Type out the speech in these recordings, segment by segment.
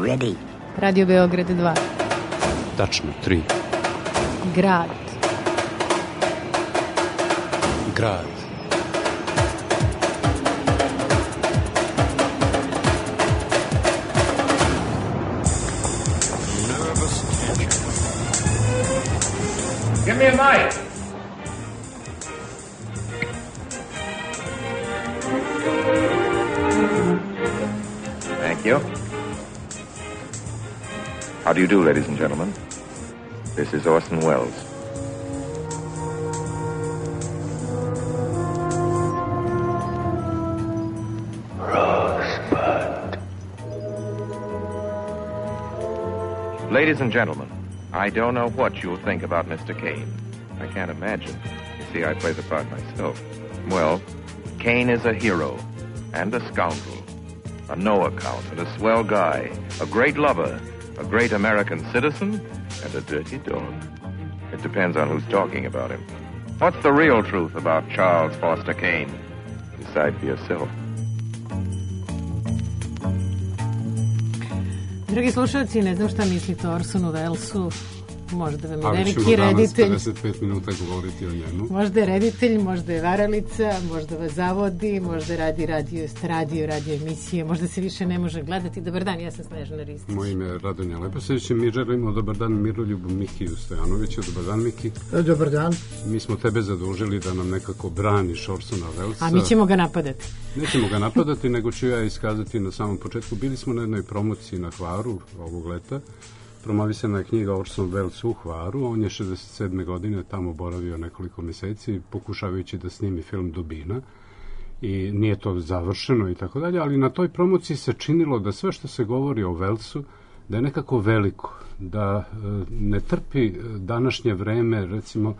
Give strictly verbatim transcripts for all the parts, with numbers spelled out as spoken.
ready. Radio Beograd dva. Tačno, tri. Grad. Grad. Give me a mic. Thank you. How do you do, ladies and gentlemen? This is Orson Welles. Rosebud. Ladies and gentlemen, I don't know what you'll think about Mister Caine. I can't imagine. You see, I play the part myself. Well, Caine is a hero and a scoundrel, a no account and a swell guy, a great lover, a great American citizen, and a dirty dog. It depends on who's talking about him. What's the real truth about Charles Foster Kane? Decide for yourself. Dragi slušalci, ne znam šta mislite o Orsonu Wellesu. Možda vam je ali veliki reditelj. Ali ćemo danas pedeset pet minuta govoriti o njemu. Možda je reditelj, možda je varalica, možda vas zavodi, možda radi radio, radio, radio emisije, možda se više ne može gledati. Dobar dan, ja sam Snežana Ristić. Moje ime je Radonja Leposević i mi želimo dobar dan Miroljubu Mikiju Stojanoviću. Dobar dan, Miki. Dobar dan. Mi smo tebe zadužili da nam nekako braniš Orsona Wellesa. A mi ćemo ga napadati. Nećemo ga napadati, nego ću ja iskazati na samom početku. Bili smo na jednoj promociji na Hvaru ovog leta. Promovisana je knjiga Orson Welles u Hvaru. On je šezdeset sedme godine tamo boravio nekoliko meseci, pokušavajući da snimi film Dubina. I nije to završeno i tako dalje, ali na toj promociji se činilo da sve što se govori o Wellesu, da je nekako veliko, da ne trpi današnje vreme, recimo,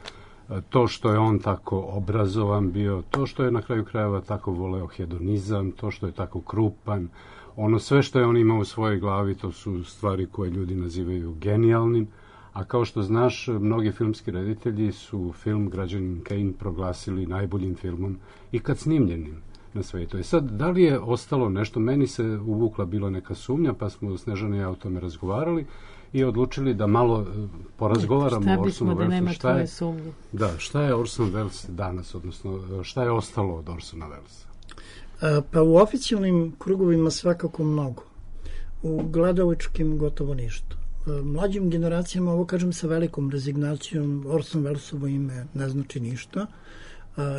to što je on tako obrazovan bio, to što je na kraju krajeva tako voleo hedonizam, to što je tako krupan, ono sve što je on imao u svojoj glavi, to su stvari koje ljudi nazivaju genijalnim, a kao što znaš, mnogi filmski reditelji su film Građanin Kane proglasili najboljim filmom ikad snimljenim na svetu. I sad, da li je ostalo nešto? Meni se uvukla bila neka sumnja, pa smo Snežana i ja o tome razgovarali i odlučili da malo porazgovaramo o Orsonu Wellesu. Da nema tvoje sumnje. Da, šta je Orson Welles danas, odnosno šta je ostalo od Orsona Wellesa? Pa u oficijalnim krugovima svakako mnogo. U gledalačkim gotovo ništa. Mlađim generacijama, ovo kažem sa velikom rezignacijom, Orson Wellesovo ime ne znači ništa.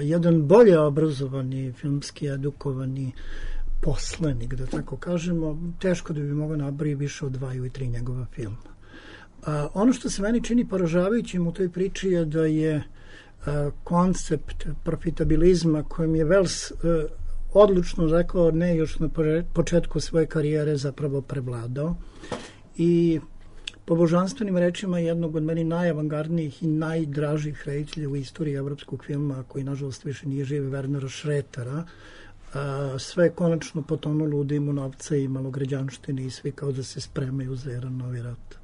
Jedan bolje obrazovani, filmski edukovani poslenik, da tako kažemo, teško da bi mogao nabrati više od dva ili tri njegova filma. Ono što se meni čini poražavajućim u toj priči je da je koncept profitabilizma kojim je Welles odlučno rekao ne još na početku svoje karijere zapravo prevladao i po božanstvenim rečima jednog od meni najavangardnijih i najdražih reditelja u istoriji evropskog filma, koji nažalost više nije živ, Wernera Šretera, sve je konačno potonulo u dimu novca i malograđanštine i svi kao da se spremaju za jedan novi rat.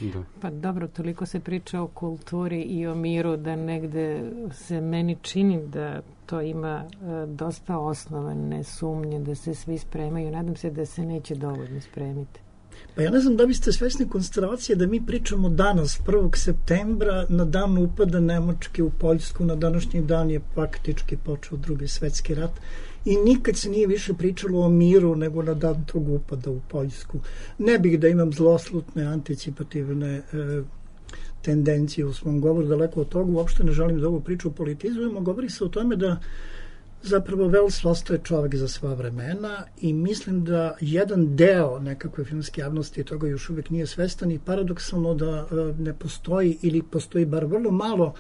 Da. Pa dobro, toliko se priča o kulturi i o miru da negde se meni čini da to ima e, dosta osnovane sumnje, da se svi spremaju. Nadam se da se neće dovoljno spremiti. Pa ja ne znam da biste svesni konstelacije da mi pričamo danas, prvog septembra, na dan upada Nemačke u Poljsku, na današnji dan je faktički počeo Drugi svetski rat i nikad se nije više pričalo o miru nego na dan tog upada u Poljsku. Ne bih da imam zloslutne, anticipativne e, tendencije u svom govoru, daleko od toga, uopšte ne želim da ovu priču politizujemo, govori se o tome da zapravo Welles ostaje čovjek za sva vremena i mislim da jedan deo nekakve filmske javnosti toga još uvijek nije svestan i paradoksalno da ne postoji ili postoji bar vrlo malo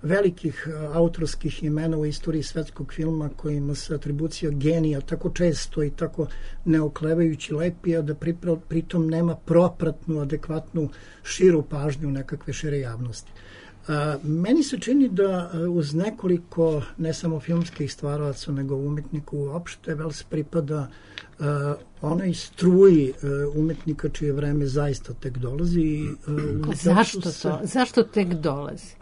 velikih autorskih imena u istoriji svetskog filma kojima se atribucija genija tako često i tako neoklevajući lepi, a da pritom nema propratnu, adekvatnu, širu pažnju nekakve šire javnosti. A, meni se čini da uz nekoliko ne samo filmskih stvaraca nego umetnika uopšte Welles pripada a, onaj struji a, umetnika čije vreme zaista tek dolazi. A, zašto to? Se, zašto tek dolazi?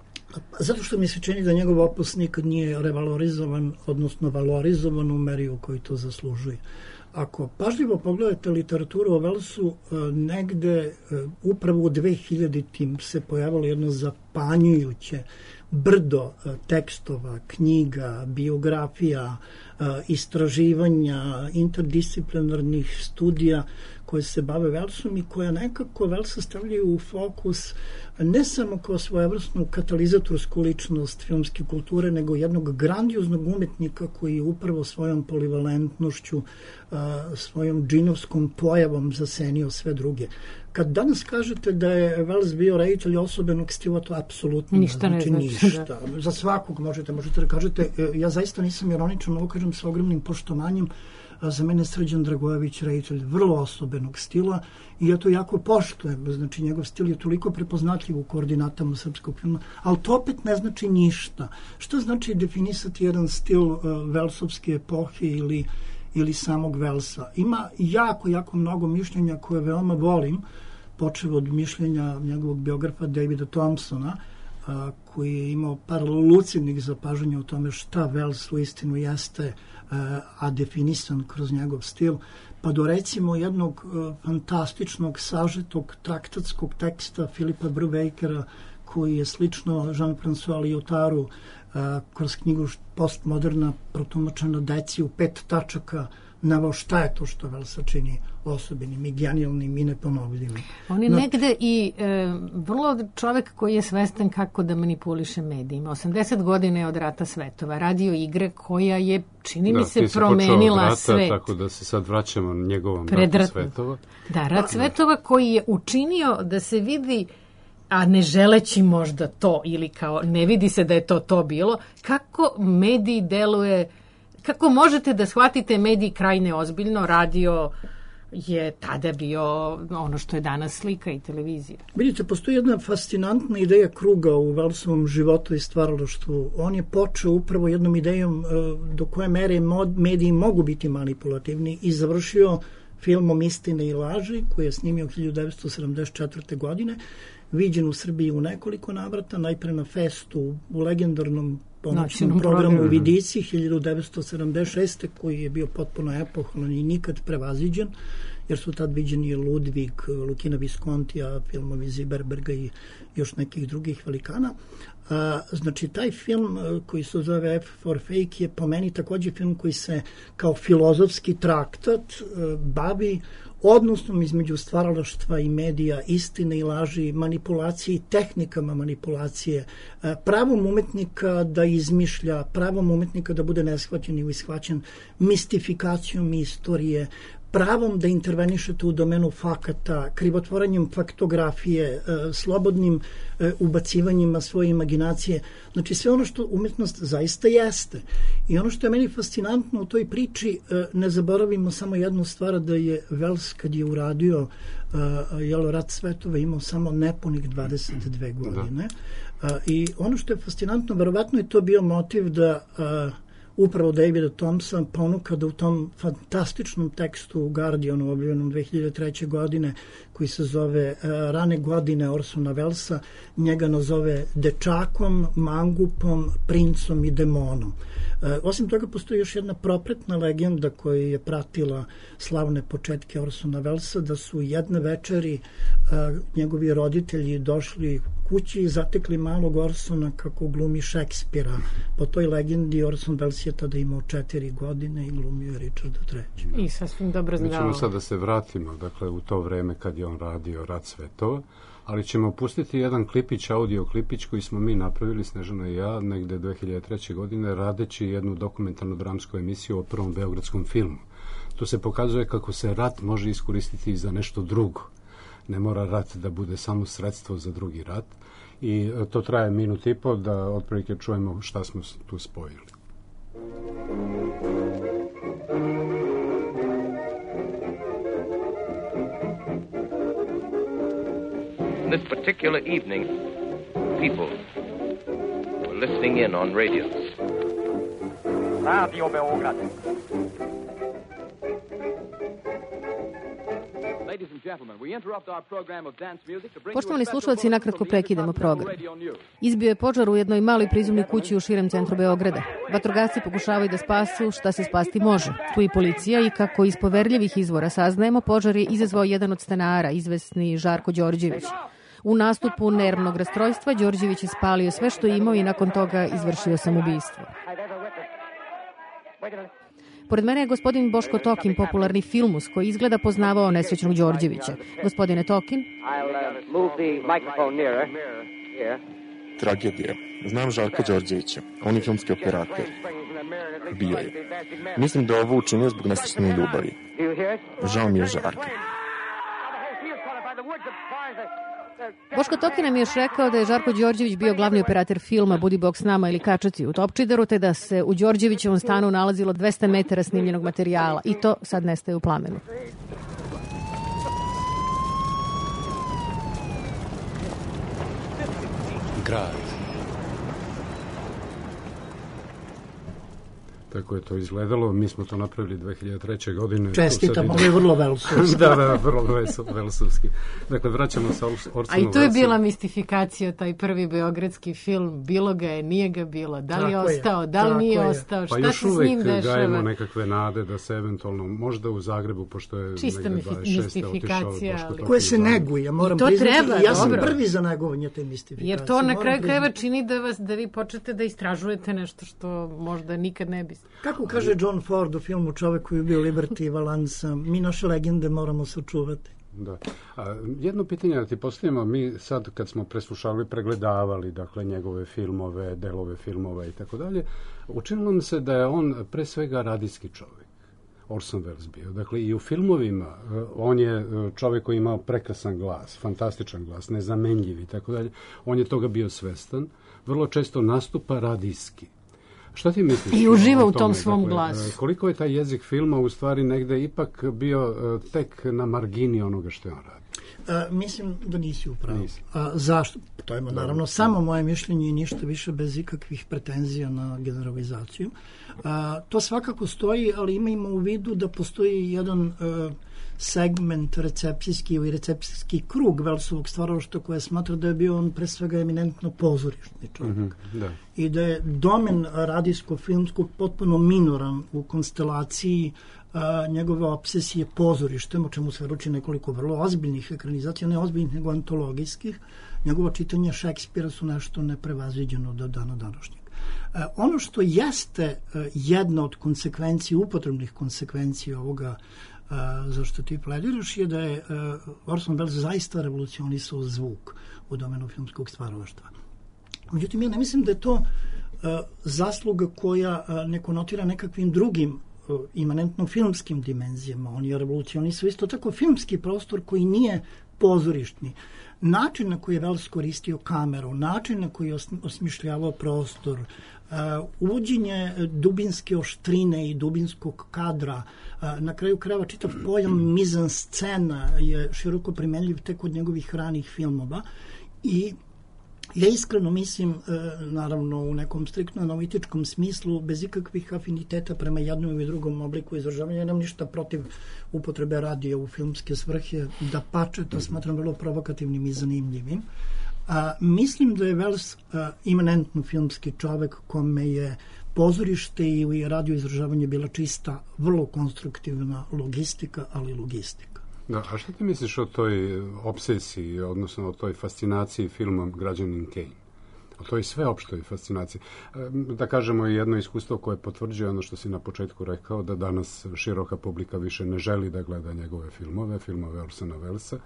Zato što mi se čini da njegov opus nikad nije revalorizovan, odnosno valorizovan u meri u kojoj to zaslužuje. Ako pažljivo pogledate literaturu o Velsu, negde upravo u dvehiljaditim se pojavilo jedno zapanjujuće brdo tekstova, knjiga, biografija, istraživanja, interdisciplinarnih studija koje se bave Velsom i koja nekako Velsa stavljaju u fokus ne samo kao svojevrsnu katalizatorsku ličnost filmske kulture, nego jednog grandioznog umetnika koji je upravo svojom polivalentnošću, svojom džinovskom pojavom zasenio sve druge. Kad danas kažete da je Welles bio reditelj osobenog stila, to apsolutno ništa ne znači, znači ništa. Da. Za svakog možete, možete da kažete, ja zaista nisam ironičan, ovo kažem sa ogromnim poštovanjem, za mene je Srđan Dragojević reditelj vrlo osobenog stila i ja to jako poštujem, znači njegov stil je toliko prepoznatljiv u koordinatama srpskog filma, ali to opet ne znači ništa. Što znači definisati jedan stil uh, Velsovske epohe ili ili samog Velsa? Ima jako, jako mnogo mišljenja koje veoma volim, počeo od mišljenja njegovog biografa Davida Thompsona, a, koji je imao par lucidnih zapažanja o tome šta Welles u istinu jeste, a, a definisan kroz njegov stil, pa do recimo jednog a, fantastičnog sažetog traktatskog teksta Filipa Bruvejkera, koji je slično Jean-François Lyotaru a, kroz knjigu Postmoderna protumačena deci u pet tačaka navao šta je to što Velsa čini osobenim i genijalnim i neponovljivim. On je no, negde i e, vrlo čovek koji je svestan kako da manipuliše medijima. osamdeset godina je od Rata svetova. Radio igre koja je, čini da, mi se, se promenila rata, svet. Tako da se sad vraćamo njegovom Predratno. Ratu svetova. Da, Rat svetova koji je učinio da se vidi, a ne želeći možda to, ili kao ne vidi se da je to to bilo, kako mediji deluje, kako možete da shvatite mediji krajne ozbiljno, radio je tada bio ono što je danas slika i televizija. Vidite, postoji jedna fascinantna ideja kruga u Velsovom životu i stvaralaštvu. On je počeo upravo jednom idejom do koje mere mediji mogu biti manipulativni i završio filmom Istine i laži, koji je snimio hiljadu devetsto sedamdeset četvrte. godine, viđen u Srbiji u nekoliko navrata, najpre na Festu u legendarnom ponoćnom programu u Vidici hiljadu devetsto sedamdeset šeste. koji je bio potpuno epohalan i nikad prevaziđen, jer su tad viđeni Ludvig, Lukina Viskontija, filmovi Ziberberga i još nekih drugih velikana. A, znači, taj film koji se zove F for Fake je po meni takođe film koji se kao filozofski traktat bavi odnosom između stvaralaštva i medija, istine i laži, manipulacije i tehnikama manipulacije, pravom umetnika da izmišlja, pravom umetnika da bude neshvaćen ili ishvaćen, mistifikacijom istorije, pravom da intervenišete u domenu fakata, krivotvoranjem faktografije, slobodnim ubacivanjima svoje imaginacije. Znači sve ono što umetnost zaista jeste. I ono što je meni fascinantno u toj priči, ne zaboravimo samo jednu stvar, da je Welles kad je uradio jel, Rat svetova imao samo nepunih dvadeset dve godine. Da. I ono što je fascinantno, verovatno je to bio motiv da upravo Davida Thompson ponuka da u tom fantastičnom tekstu u Guardianu objavljenom dve hiljade treće. godine, koji se zove uh, Rane godine Orsona Wellesa, njega nazove dečakom, mangupom, princom i demonom. Uh, osim toga postoji još jedna propretna legenda koja je pratila slavne početke Orsona Wellesa, da su jedne večeri uh, njegovi roditelji došli kući i zatekli malog Orsona kako glumi Šekspira. Po toj legendi Orson Welles je tada imao četiri godine i glumio je Richarda trećeg. I sasvim dobro znao. Mi ćemo sad da se vratimo, dakle, u to vreme kad je on radio Rat svetova, ali ćemo pustiti jedan klipić, audio klipić koji smo mi napravili, Snežana i ja, negde dve hiljade treće. godine, radeći jednu dokumentarnu dramsku emisiju o prvom beogradskom filmu. Tu se pokazuje kako se rat može iskoristiti i za nešto drugo. Ne mora rat da bude samo sredstvo za drugi rat. I to traje minut i po da otprilike čujemo šta smo tu spojili. This particular evening, people were listening in on radios. Radio Beograd. Poštovani slušalci, nakratko prekidamo program. Izbio je požar u jednoj maloj prizemnoj kući u širem centru Beograda. Vatrogasci pokušavaju da spasu šta se spasti može. Tu i policija i kako iz poverljivih izvora saznajemo, požar je izazvao jedan od stanara, izvesni Žarko Đorđević. U nastupu nervnog rastrojstva Đorđević je spalio sve što je imao i nakon toga izvršio samoubistvo. Pored mene je gospodin Boško Tokin, popularni filmus, koji izgleda poznavao nesrećnog Đorđevića. Gospodine Tokin? Tragedija. Znam Žarka Đorđevića. On je filmski operator. Bio je. Mislim da je ovo učinio zbog nesrećne ljubavi. Žao mi je Žarka. Boško Tokin nam je još rekao da je Žarko Đorđević bio glavni operator filma Budi Bog s nama ili Kačaci u Topčideru, te da se u Đorđevićevom stanu nalazilo dvesta metara snimljenog materijala i to sad nestaje u plamenu. Grad. Tako je to izgledalo. Mi smo to napravili dve hiljade treće. godine. Čestitam, ovo je vrlo velsovski. da, da, vrlo velsovski. Dakle, vraćamo se Orsonu Welsu. A i to je bila mistifikacija, taj prvi beogradski film. Bilo ga je, nije ga bilo. Da li je ostao, da li nije ostao, šta se s njim dešava? Pa još uvek gajemo nekakve nade da se eventualno, možda u Zagrebu, pošto je čista mistifikacija. Koje se neguje, moram priznati. Ja sam prvi za negovanje te mistifikacije. Jer to na kraju krajeva čini da vas, da vi počnete da istražujete nešto što možda nikad ne bi. Kako kaže John Ford u filmu Čovek koji je bio Liberty Valansa, mi naše legende moramo sačuvati. Da. A, jedno pitanje da ti postavimo, mi sad kad smo preslušali, pregledavali dakle njegove filmove, delove filmova i tako dalje, učinilo nam se da je on pre svega radijski čovjek. Orson Welles bio. Dakle, i u filmovima on je čovjek koji imao prekrasan glas, fantastičan glas, nezamenljiv i tako dalje. On je toga bio svestan. Vrlo često nastupa radijski. Šta ti misliš? I uživa u tom svom dakle, glasu. Koliko je taj jezik filma u stvari negde ipak bio uh, tek na margini onoga što je on radi? A, mislim da nisi upravo. A, zašto? To je naravno da, samo moje mišljenje i ništa više bez ikakvih pretenzija na generalizaciju. A, to svakako stoji, ali imajmo u vidu da postoji jedan a, segment recepcijski ili recepcijski krug Wellsovog stvaralaštva koje smatra da je bio on pre svega eminentno pozorišni čovjek. Mm-hmm, da. I da je domen radijsko-filmskog potpuno minoran u konstelaciji a, njegove obsesije pozorištem, o čemu se ruči nekoliko vrlo ozbiljnih ekranizacija, ne ozbiljnih nego antologijskih. Njegovo čitanje Šekspira su nešto neprevaziđeno do dana današnjeg. A, ono što jeste a, jedna od konsekvencija, upotrebnih konsekvencija ovoga Uh, zašto ti plediraš je da je uh, Orson Welles zaista revolucionisao zvuk u domenu filmskog stvaralaštva. Međutim, ja ne mislim da je to uh, zasluga koja uh, ne konotira nekakvim drugim uh, imanentno filmskim dimenzijama. On je revolucionisao isto tako filmski prostor koji nije pozorišni. Način na koji je Welles koristio kameru, način na koji je osmišljavao prostor, uh, uvođenje dubinske oštrine i dubinskog kadra, uh, na kraju krajeva čitav pojam mizanscena je široko primenljiv tek od njegovih ranih filmova i ja iskreno mislim, naravno u nekom striktno analitičkom smislu, bez ikakvih afiniteta prema jednom ili drugom obliku izražavanja, nemam ništa protiv upotrebe radija u filmske svrhe, da pače, to smatram vrlo provokativnim i zanimljivim. A, mislim da je Welles a, imanentno filmski čovek kome je pozorište ili radio izražavanje bila čista, vrlo konstruktivna logistika, ali logistika. Da, a što ti misliš o toj obsesiji, odnosno o toj fascinaciji filmom Građanin Kane? O toj sveopštoj fascinaciji. Da kažemo jedno iskustvo koje potvrđuje ono što si na početku rekao, da danas široka publika više ne želi da gleda njegove filmove, filmove Orsona Wellesa.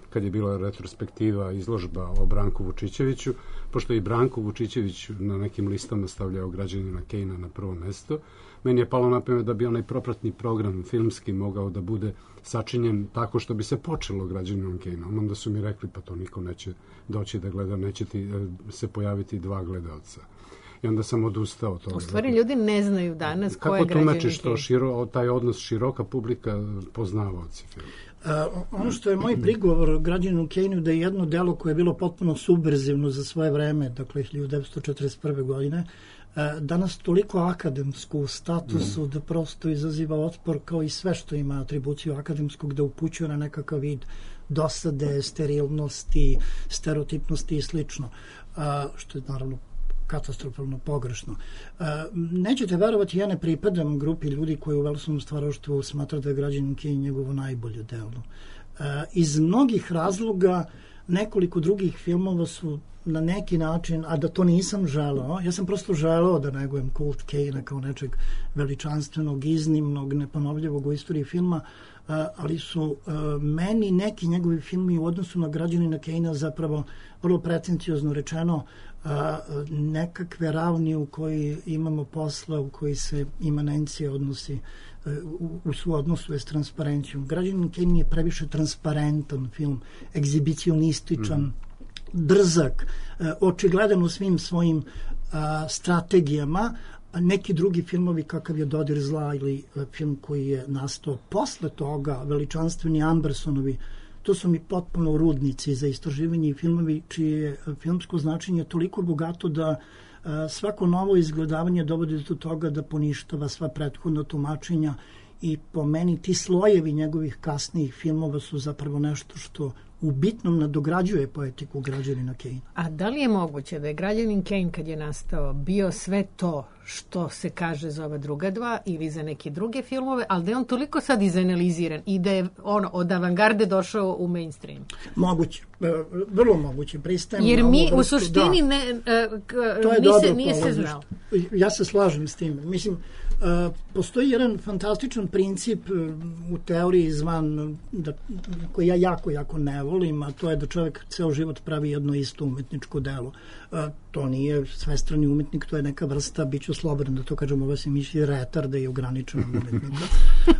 Kad je bila retrospektiva, izložba o Branku Vučićeviću, pošto i Branko Vučićević na nekim listama stavljao Građanina Kejna na prvo mesto, meni je palo na pamet da bi onaj propratni program filmski mogao da bude sačinjen tako što bi se počelo Građaninom Kejnom. Onda su mi rekli, pa to niko neće doći da gleda, neće ti se pojaviti dva gledalca. I onda sam odustao od toga. U stvari ljudi ne znaju danas ko je Građanin Kejn. Kako tumačiš to, širo, taj odnos široka publika, poznavaoci filma? Uh, ono što je moj prigovor Građaninu Kejnu da je jedno delo koje je bilo potpuno subverzivno za svoje vreme, dakle hiljadu devetsto četrdeset prve godine, uh, danas toliko akademsku u statusu mm. da prosto izaziva otpor kao i sve što ima atribuciju akademskog, da upućuje na nekakav vid dosade, sterilnosti, stereotipnosti i slično, što je naravno katastrofalno pogrešno. Nećete verovati, ja ne pripadam grupi ljudi koji u Velsovom stvaralaštvu smatra da je Građanin Kane njegovo najbolje delo. Iz mnogih razloga nekoliko drugih filmova su na neki način, a da to nisam želeo, ja sam prosto želeo da negujem kult Kane kao nečeg veličanstvenog, iznimnog, neponovljivog u istoriji filma, ali su meni neki njegovi filmi u odnosu na Građanina Kanea zapravo vrlo pretenciozno rečeno nekakve ravni u koji imamo posla, u koji se imanencija odnosi u, u su odnosu je s transparencijom. Građanin Kane je previše transparentan film, egzibicionističan, mm. drzak, očigledan u svim svojim a, strategijama. Neki drugi filmovi kakav je Dodir zla ili film koji je nastao posle toga, veličanstveni Andersonovi, to su mi potpuno rudnici za istraživanje i filmovi čije je filmsko značenje toliko bogato da a, svako novo izgledavanje dovodi do toga da poništava sva prethodna tumačenja i po meni ti slojevi njegovih kasnijih filmova su zapravo nešto što u bitnom nadograđuje poetiku Građanina Kanea. A da li je moguće da je Građanin Kane kad je nastao bio sve to što se kaže za ova druga dva ili za neke druge filmove, ali da je on toliko sad izanaliziran i da je ono od avangarde došao u mainstream? Moguće, vrlo moguće, pristajem. Jer mi u suštini da. ne, to je nije, se, nije se znao. Ja se slažem s tim. Mislim, Uh, postoji jedan fantastičan princip uh, u teoriji zvan da, koji ja jako, jako ne volim, a to je da čovjek ceo život pravi jedno isto umetničko delo. Uh, to nije svestrani umetnik, to je neka vrsta, bit ću slobodan da to kažem, ovo se misli retarda i ograničenog umetnika. Uh,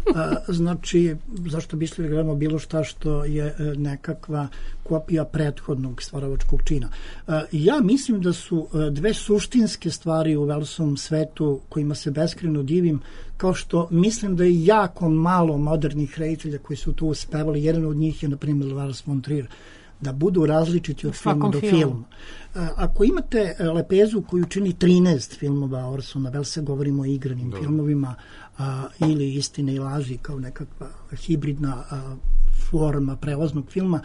znači, zašto bi išli da gledamo bilo šta što je uh, nekakva kopija prethodnog stvaravačkog čina. Uh, ja mislim da su uh, dve suštinske stvari u Welsovom svetu kojima se beskrajno divim, kao što mislim da je jako malo modernih reditelja koji su tu uspevali. Jedan od njih je, na primjer, Lars von Trier, da budu različiti od filma do filma. Film. Ako imate lepezu koju čini trinaest filmova Orsona Wellesa, govorimo o igranim Dobre. filmovima a, ili Istine i laži kao nekakva hibridna a, forma prevoznog filma,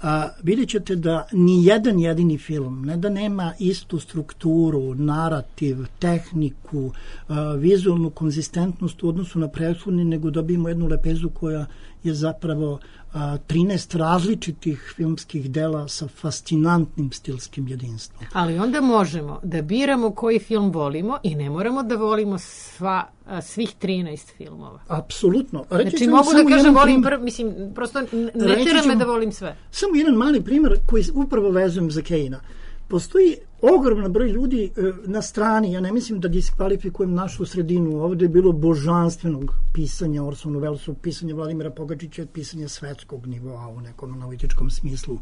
a, vidjet ćete da ni jedan jedini film, ne da nema istu strukturu, narativ, tehniku, a, vizualnu konzistentnost u odnosu na prethodni, nego dobijemo jednu lepezu koja je zapravo a, trinaest različitih filmskih dela sa fascinantnim stilskim jedinstvom. Ali onda možemo da biramo koji film volimo i ne moramo da volimo sva, a, svih trinaest filmova. Apsolutno. Reći znači mogu da kažem volim prv, mislim, prosto ne tera me da volim sve. Samo jedan mali primjer koji upravo vezujem za Kanea. Postoji ogroman broj ljudi e, na strani, ja ne mislim da diskvalifikujem našu sredinu, ovdje je bilo božanstvenog pisanja Orsona Wellesa, pisanja Vladimira Pogačića, pisanja svetskog nivoa u nekom analitičkom smislu.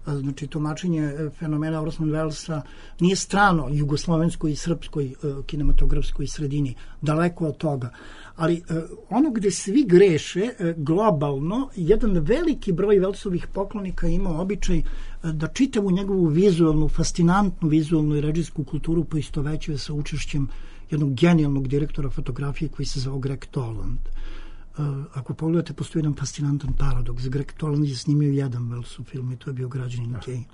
E, znači, tumačenje fenomena Orsona Wellesa nije strano jugoslovenskoj i srpskoj e, kinematografskoj sredini, daleko od toga. Ali e, ono gde svi greše e, globalno, jedan veliki broj Wellesovih poklonika ima običaj e, da čitavu njegovu vizualnu, fascinantnu vizualnu i režijsku kulturu poistovećuje sa učešćem jednog genijalnog direktora fotografije koji se zvao Greg Toland. E, ako pogledate, postoji jedan fascinantan paradoks. Greg Toland je snimio jedan Wellesov film i to je bio Građanin Kane.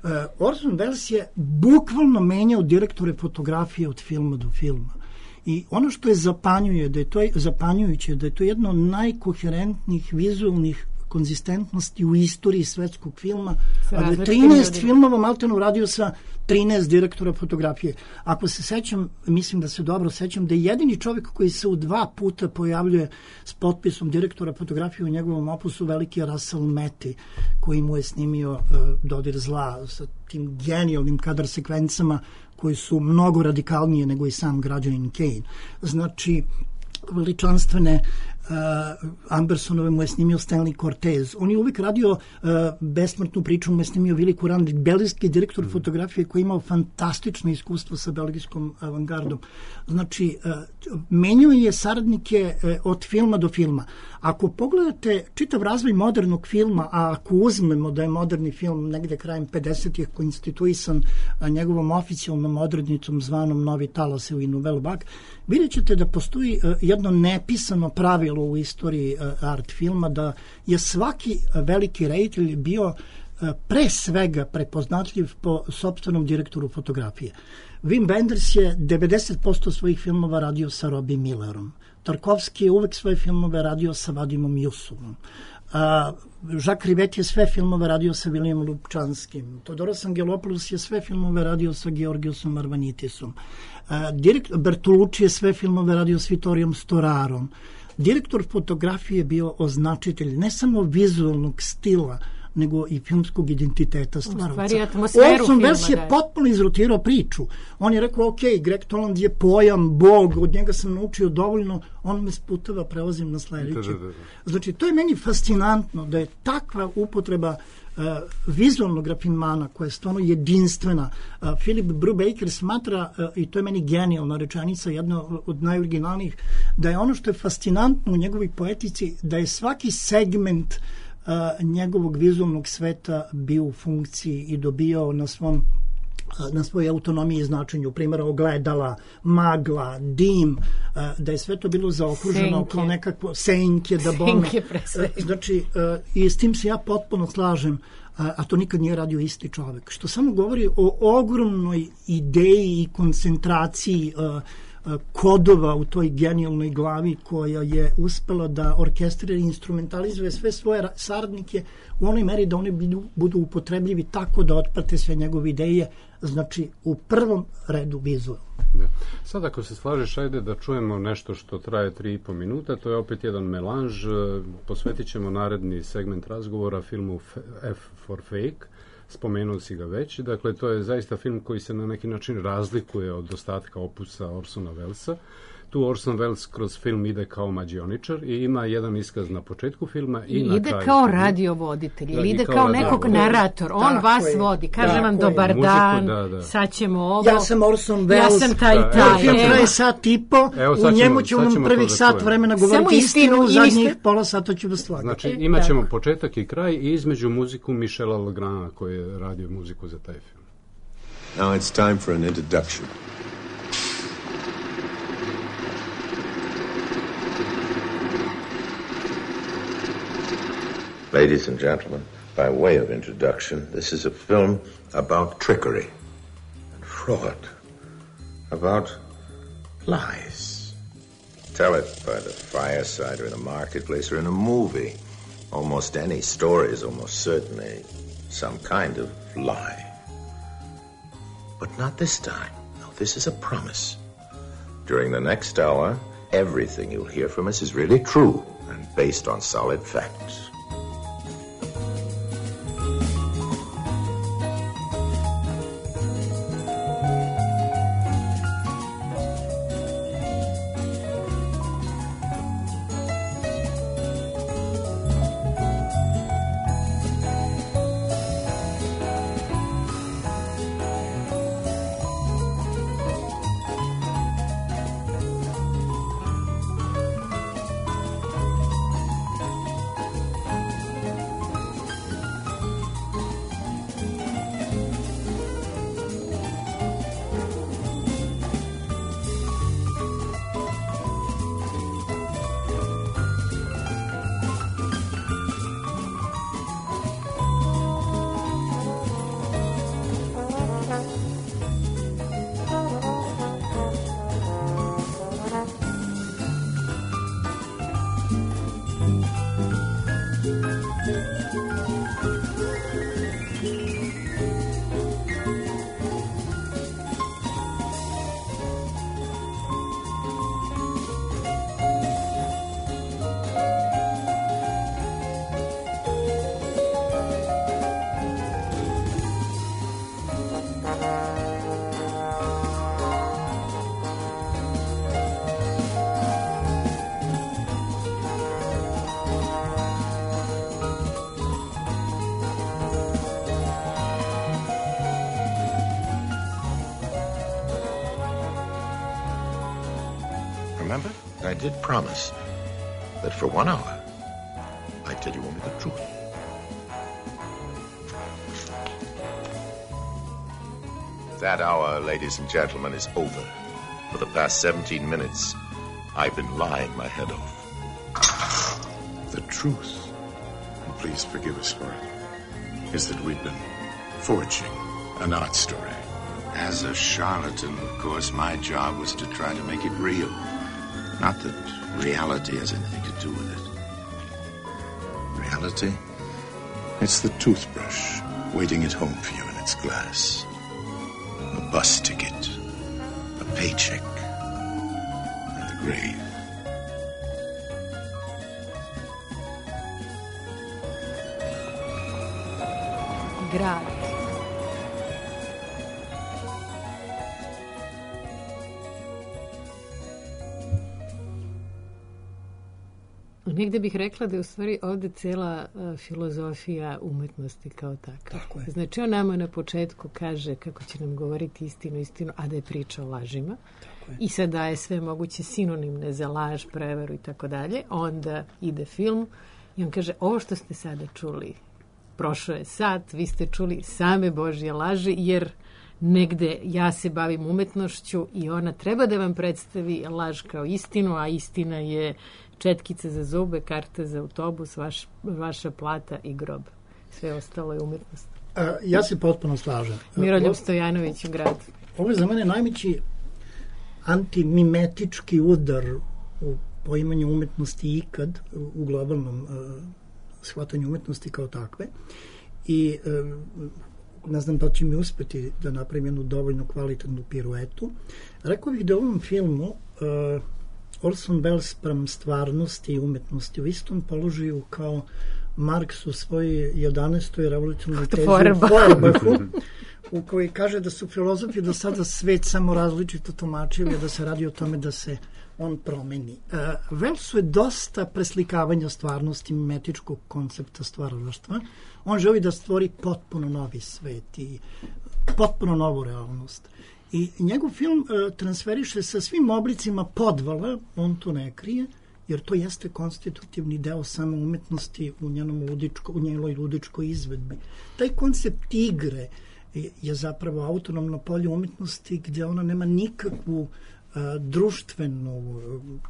E, Orson Welles je bukvalno menjao direktore fotografije od filma do filma. I ono što je zapanjuje, da je to zapanjujuće, da je to jedno od najkoherentnijih vizualnih konzistentnosti u istoriji svetskog filma, a da je trinaest filmova maltene uradio sa trinaest direktora fotografije. Ako se sećam, mislim da se dobro sećam, da je jedini čovjek koji se u dva puta pojavljuje s potpisom direktora fotografije u njegovom opusu veliki je Russell Metty, koji mu je snimio uh, Dodir zla sa tim genijalnim kadar sekvencama koji su mnogo radikalnije nego i sam Građanin Kane. Znači, veličanstvene uh, Ambersonove mu je snimio Stanley Cortez. On je uvijek radio uh, besmrtnu priču, mu je snimio Vili Kurand, belgijski direktor mm. fotografije koji je imao fantastično iskustvo sa belgijskom avangardom. Znači, uh, menjao je saradnike uh, od filma do filma. Ako pogledate čitav razvoj modernog filma, a ako uzmemo da je moderni film negde krajem pedesetih konstituisan uh, njegovom oficijalnom odrednicom zvanom Novi talas i Nouvelle Vague, vidjet ćete da postoji uh, jedno nepisano pravilo u istoriji uh, art filma, da je svaki uh, veliki reditelj bio uh, pre svega prepoznatljiv po sopstvenom direktoru fotografije. Wim Wenders je devedeset posto svojih filmova radio sa Robbie Millerom. Tarkovski je uvek svoje filmove radio sa Vadimom Jusovom. A, Jacques Rivette je sve filmove radio sa Williamom Lubčanskim. Todoros Angelopoulos je sve filmove radio sa Georgiusom Arvanitisom. A, direkt, Bertolucci je sve filmove radio s Vittorijom Storarom. Direktor fotografije je bio označitelj ne samo vizualnog stila, nego i filmskog identiteta stvaravca. Orson Welles je potpuno izrotirao priču. On je rekao, ok, Greg Toland je pojam, bog, od njega sam naučio dovoljno, on me sputava, prelazim na sledeće. Znači, to je meni fascinantno da je takva upotreba uh, vizualnog rafinmana koja je stvarno jedinstvena. Uh, Philip Brubaker smatra, uh, i to je meni genijalna rečenica, jedna od najoriginalnijih, da je ono što je fascinantno u njegovoj poetici, da je svaki segment Uh, njegovog vizualnog sveta bio u funkciji i dobio na svom uh, na svojoj autonomiji i značenju, primjera ogledala, magla, dim, uh, da je sve to bilo zaokruženo kao nekakvo senke, da bome. Uh, znači, uh, i s tim se ja potpuno slažem, uh, a to nikad nije radio isti čovek, što samo govori o ogromnoj ideji i koncentraciji uh, kodova u toj genijalnoj glavi koja je uspela da orkestrira i instrumentalizuje sve svoje saradnike u onoj meri da oni budu, budu upotrebljivi tako da otprate sve njegove ideje, znači u prvom redu vizualno. Da. Sad ako se slažeš, ajde da čujemo nešto što traje tri i po minuta, to je opet jedan melanž, posvetit ćemo naredni segment razgovora filmu F for Fake, spomenuo si ga već, dakle to je zaista film koji se na neki način razlikuje od ostatka opusa Orsona Wellesa. Tu Orson Welles kroz film ide kao mađioničar i ima jedan iskaz na početku filma i na ide kraju. Kao filma. radiovoditelj ili ide kao, kao nekog da, narator. On tako vas je, vodi, kaže vam dobar je. dan, da, da. sad ćemo ovo. Ja sam Orson Welles. Ja sam taj da, taj. Film traje sat i po, evo, u njemu ću vam prvih sat vremena govoriti istinu, u zadnjih pola sata ću vas slagati. Znači imat ćemo početak i kraj i između muziku Michela Legranda koji je radio muziku za taj film. Now it's time for an introduction. Ladies and gentlemen, by way of introduction, this is a film about trickery and fraud, about lies. Tell it by the fireside or in a marketplace or in a movie. Almost any story is almost certainly some kind of lie. But not this time. No, this is a promise. During the next hour, everything you'll hear from us is really true and based on solid facts. I did promise that for one hour, I'd tell you only the truth. That hour, ladies and gentlemen, is over. For the past seventeen minutes, I've been lying my head off. The truth, and please forgive us for it, is that we've been forging an art story. As a charlatan, of course, my job was to try to make it real. Not that reality has anything to do with it. Reality? It's the toothbrush waiting at home for you in its glass. A bus ticket, a paycheck, and the grave. Grad. Negde bih rekla da je u stvari ovde cela uh, filozofija umetnosti kao takva. Tako je. Znači on nama na početku kaže kako će nam govoriti istinu, istinu, a da je priča o lažima. I sad daje sve moguće sinonimne za laž, prevaru i tako dalje. Onda ide film i on kaže ovo što ste sada čuli, prošao je sat, vi ste čuli same Božje laži, jer negde ja se bavim umetnošću i ona treba da vam predstavi laž kao istinu, a istina je četkice za zube, karte za autobus, vaš, vaša plata i grob. Sve ostalo je umetnost. A, ja se potpuno slažem. Miroljub Stojanović u Gradu. Ovo je za mene najveći antimimetički udar u poimanju umetnosti ikad, u globalnom uh, shvatanju umetnosti kao takve. I uh, ne znam da će mi uspeti da napravim jednu dovoljno kvalitetnu piruetu. Rekao bih da u ovom filmu uh, Orson Welles sprem stvarnosti i umetnosti u istom položaju kao Marks u svojoj jedanaestoj revolucionalnoj tezi u Feuerbachu, u kojoj kaže da su filozofi do sada svet samo različito tumačili, da se radi o tome da se on promeni. Uh, Wellesu je dosta preslikavanja stvarnosti mimetičkog koncepta stvaralaštva. On želi da stvori potpuno novi svet i potpuno novu realnost. I njegov film uh, transferiše sa svim oblicima podvala, on to ne krije, jer to jeste konstitutivni deo samo umetnosti u, njenom ludičko, u njenoj ludičkoj izvedbi. Taj koncept igre je, je zapravo autonomno polje umetnosti gdje ona nema nikakvu uh, društvenu,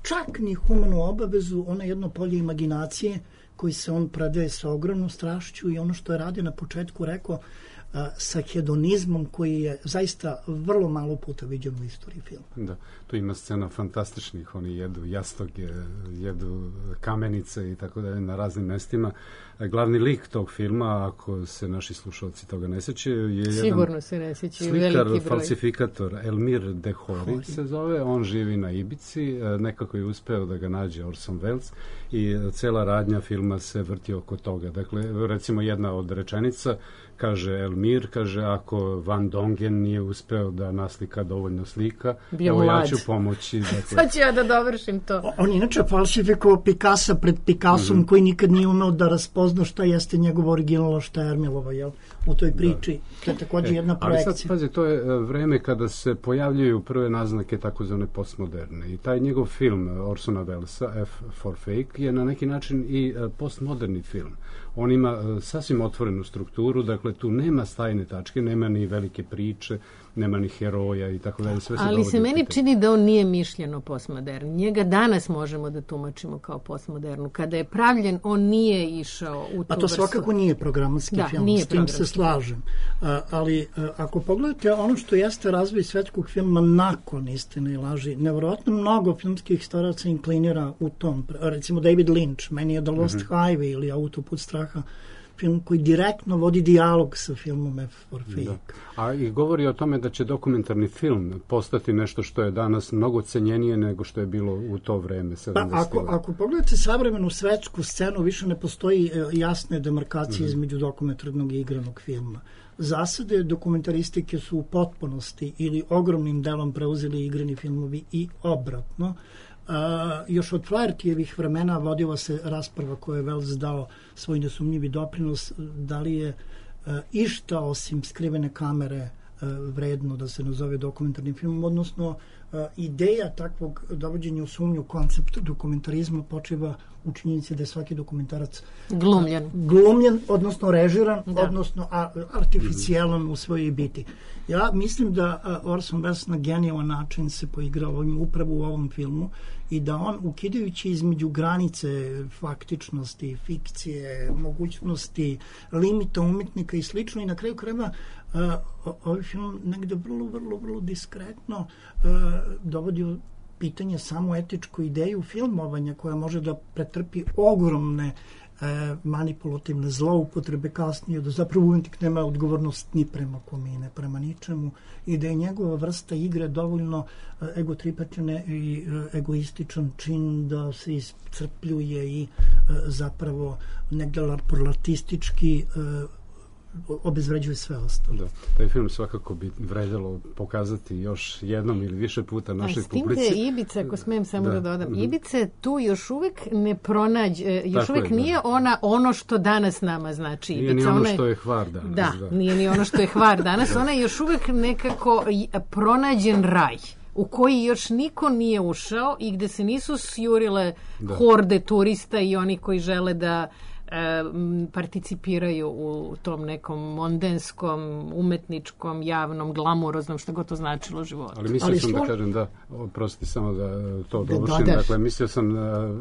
čak ni humanu obavezu, ona je jedno polje imaginacije koji se on predaje sa ogromnom strašću i ono što je radio na početku rekao sa hedonizmom koji je zaista vrlo malo puta viđen u istoriji filma. Da, tu ima scena fantastičnih, oni jedu jastoge, jedu kamenice i tako dalje na raznim mestima. Glavni lik tog filma, ako se naši slušalci toga ne sećaju, je Sigurno jedan se ne sećaju, slikar, falsifikator, Elmir Dehori se zove, on živi na Ibici, nekako je uspeo da ga nađe Orson Welles i cela radnja filma se vrti oko toga. Dakle, recimo jedna od rečenica kaže Elmir, kaže ako Van Dongen nije uspeo da naslika dovoljno slika, bio evo mlad. Ja ću pomoći. Dakle. Sad ću ja da dovršim to. O, on inače falsifikovao Picasa pred Picassom, mm-hmm. koji nikad nije umeo da raspozna šta jeste njegov original, šta je Ermilova, jel? U toj priči. Da. To je također e, jedna projekcija. Ali sad, pazi, to je vreme kada se pojavljuju prve naznake takozvane postmoderne. I taj njegov film Orsona Wellesa, F for Fake, je na neki način i postmoderni film. On ima sasvim otvorenu strukturu, dakle tu nema stajne tačke, nema ni velike priče, nema ni heroja i tako dalje. Sve se ali se meni čini da on nije mišljeno postmodern. Njega danas možemo da tumačimo kao postmodernu. Kada je pravljen, on nije išao u tu A to svakako nije programatski da, film, nije s tim se slažem. A, ali a, ako pogledate ono što jeste razvoj svetskog filma nakon Istine i laži, nevjerojatno mnogo filmskih staraca inklinira u tom. Recimo David Lynch, meni je The Lost mm-hmm. Highway ili Autoput straha, film koji direktno vodi dijalog sa filmom F for Fake. Da. A i govori o tome da će dokumentarni film postati nešto što je danas mnogo cenjenije nego što je bilo u to vreme. Pa ako, ako pogledate savremenu svetsku scenu, više ne postoji jasne demarkacije mm-hmm. između dokumentarnog i igranog filma. Zasade dokumentaristike su u potpunosti ili ogromnim delom preuzeli igrani filmovi i obratno. Uh, još od Flahertyjevih vremena vodila se rasprava koju je Welles dao svoj nesumnjivi doprinos, da li je uh, išta osim skrivene kamere uh, vredno da se nazove dokumentarnim filmom, odnosno ideja takvog dovođenja u sumnju koncept dokumentarizma počiva u činjenici da je svaki dokumentarac glumljen, glumljen odnosno režiran, da. odnosno artificijalan u svojoj biti. Ja mislim da Orson Welles na genijalan način se poigrao ovim, upravo u ovom filmu i da on, ukidajući između granice faktičnosti, fikcije, mogućnosti, limita umetnika i slično, i na kraju krajeva uh, ovaj film negde vrlo, vrlo, vrlo diskretno uh, dovodi u pitanje samo etičku ideju filmovanja koja može da pretrpi ogromne e, manipulativne zloupotrebe kasnije, da zapravo umetnik nema odgovornost ni prema komine, prema ničemu, i da je njegova vrsta igre dovoljno e, egotripačene i e, egoističan čin da se iscrpljuje i e, zapravo negde larpurlatistički e, obezvređuje sve ostalo. Da, taj film svakako bi vredjelo pokazati još jednom ili više puta našoj publici. S tim da Ibica, ako smijem samo da, da dodam, mm-hmm. Ibica tu još uvek ne pronađe, još Tako uvek je, nije da. ona ono što danas nama znači Ibica. Nije ni ono ona je, što je Hvar danas. Da, da, nije ni ono što je Hvar danas. Ona je još uvek nekako pronađen raj u koji još niko nije ušao i gde se nisu sjurile da. horde turista i oni koji žele da participiraju u tom nekom mondenskom, umetničkom, javnom, glamuroznom, što god to značilo životu. Ali mislio Ali sam što... da kažem da, oprosti samo da to dovršim, da, dakle, mislio sam da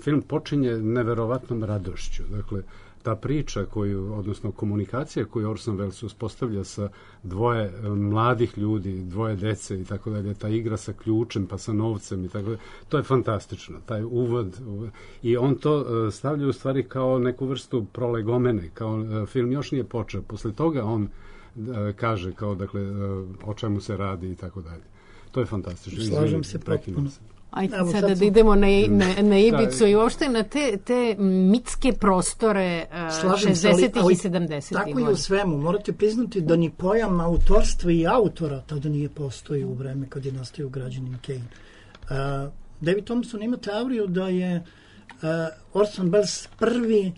film počinje neverovatnom radošću, dakle, ta priča koju, odnosno komunikacija koju Orson Welles uspostavlja sa dvoje mladih ljudi, dvoje dece i tako dalje, ta igra sa ključem pa sa novcem i tako dalje, to je fantastično, taj uvod, uvod. I on to stavlja u stvari kao neku vrstu prolegomene, kao film još nije počeo, posle toga on kaže kao, dakle, o čemu se radi i tako dalje. To je fantastično. Slažem se potpuno. Ajde Evo, sada da idemo na, na, na Ibicu i uopšte na te, te mitske prostore uh, šezdesetih i sedamdesetih. Tako i u svemu. Morate priznati da ni pojam autorstva i autora tada nije postoji u vreme kad je nastao Građanin Kane. Uh, David Thompson ima teoriju da je uh, Orson Welles prvi